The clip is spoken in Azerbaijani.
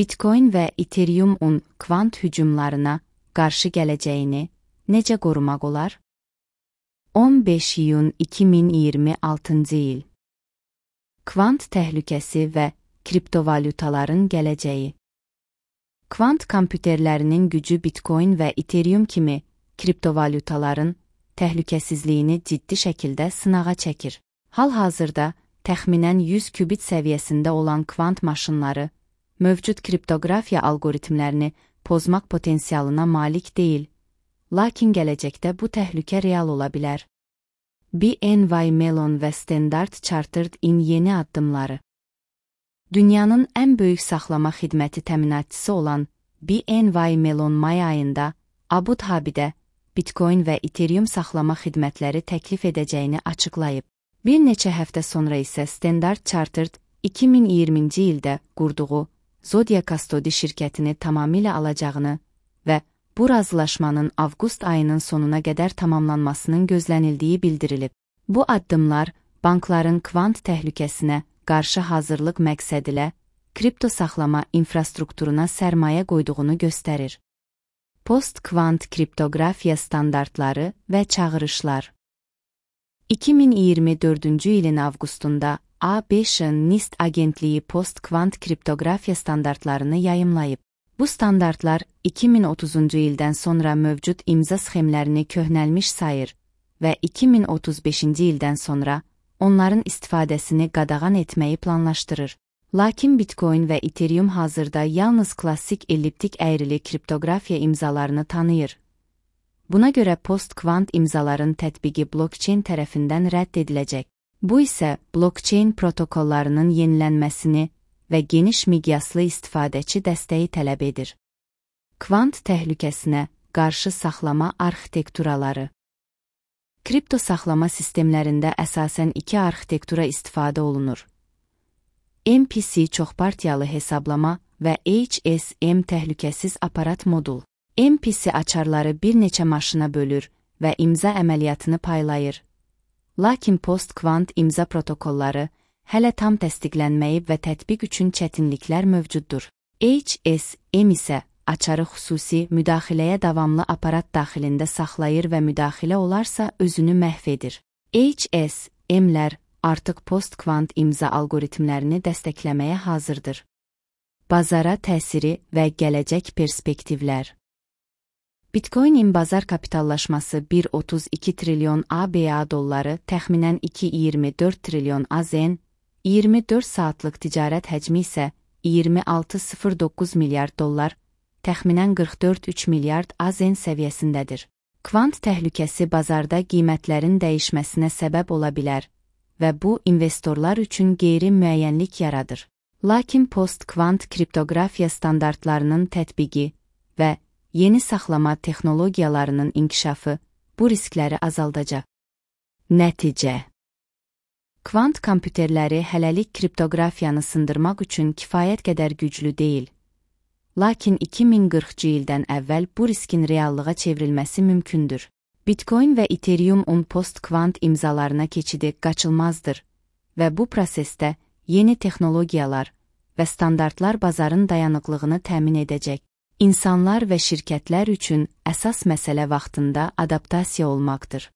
Bitcoin və Ethereum-un kvant hücumlarına qarşı gələcəyini necə qorumaq olar? 15 iyun 2026 il. Kvant təhlükəsi və kriptovalyutaların gələcəyi. Kvant kompüterlərinin gücü Bitcoin və Ethereum kimi kriptovalyutaların təhlükəsizliyini ciddi şəkildə sınağa çəkir. Hal-hazırda təxminən 100 qubit səviyyəsində olan kvant maşınları mövcud kriptoqrafiya algoritmlərini pozmaq potensialına malik deyil, lakin gələcəkdə bu təhlükə real ola bilər. BNY Mellon və Standard Chartered-in yeni addımları. Dünyanın ən böyük saxlama xidməti təminatçısı olan BNY Mellon may ayında Abu Dhabidə Bitcoin və Ethereum saxlama xidmətləri təklif edəcəyini açıqlayıb. Bir neçə həftə sonra isə Standard Chartered 2020-ci ildə qurduğu Zodia Custody şirkətini tamamilə alacağını və bu razılaşmanın avqust ayının sonuna qədər tamamlanmasının gözlənildiyi bildirilib. Bu addımlar bankların kvant təhlükəsinə qarşı hazırlıq məqsədilə kripto saxlama infrastrukturuna sərmayə qoyduğunu göstərir. Post-kvant kriptoqrafiya standartları və çağırışlar. 2024-cü ilin avqustunda ABŞ-ın NIST agentliyi post-kvant kriptoqrafiya standartlarını yayımlayıb. Bu standartlar 2030-cu ildən sonra mövcud imza sxemlərini köhnəlmiş sayır və 2035-ci ildən sonra onların istifadəsini qadağan etməyi planlaşdırır. Lakin Bitcoin və Ethereum hazırda yalnız klassik elliptik əyrili kriptoqrafiya imzalarını tanıyır. Buna görə post-kvant imzaların tətbiqi blockchain tərəfindən rədd ediləcək. Bu isə blockchain protokollarının yenilənməsini və geniş miqyaslı istifadəçi dəstəyi tələb edir. Kvant təhlükəsinə qarşı saxlama arxitekturaları. Kripto saxlama sistemlərində əsasən iki arxitektura istifadə olunur. MPC çoxpartiyalı hesablama və HSM təhlükəsiz aparat modul. MPC açarları bir neçə maşına bölür və imza əməliyyatını paylayır. Lakin post-kvant imza protokolları hələ tam təsdiqlənməyib və tətbiq üçün çətinliklər mövcuddur. HSM isə açarı xüsusi müdaxiləyə davamlı aparat daxilində saxlayır və müdaxilə olarsa özünü məhv edir. HSM-lər artıq post-kvant imza algoritmlərini dəstəkləməyə hazırdır. Bazara təsiri və gələcək perspektivlər. Bitcoin-in bazar kapitallaşması 1,32 trilyon ABA dolları, təxminən 2,24 trilyon AZN, 24 saatlıq ticarət həcmi isə 26,09 milyard dollar, təxminən 44,3 milyard AZN səviyyəsindədir. Kvant təhlükəsi bazarda qiymətlərin dəyişməsinə səbəb ola bilər və bu investorlar üçün qeyri-müəyyənlik yaradır. Lakin post-kvant kriptoqrafiya standartlarının tətbiqi və yeni saxlama texnologiyalarının inkişafı bu riskləri azaldacaq. Nəticə. Kvant kompüterləri hələlik kriptoqrafiyanı sındırmaq üçün kifayət qədər güclü deyil. Lakin 2040-cı ildən əvvəl bu riskin reallığa çevrilməsi mümkündür. Bitcoin və Ethereum-un post-kvant imzalarına keçidi qaçılmazdır və bu prosesdə yeni texnologiyalar və standartlar bazarın dayanıqlığını təmin edəcək. İnsanlar və şirkətlər üçün əsas məsələ vaxtında adaptasiya olmaqdır.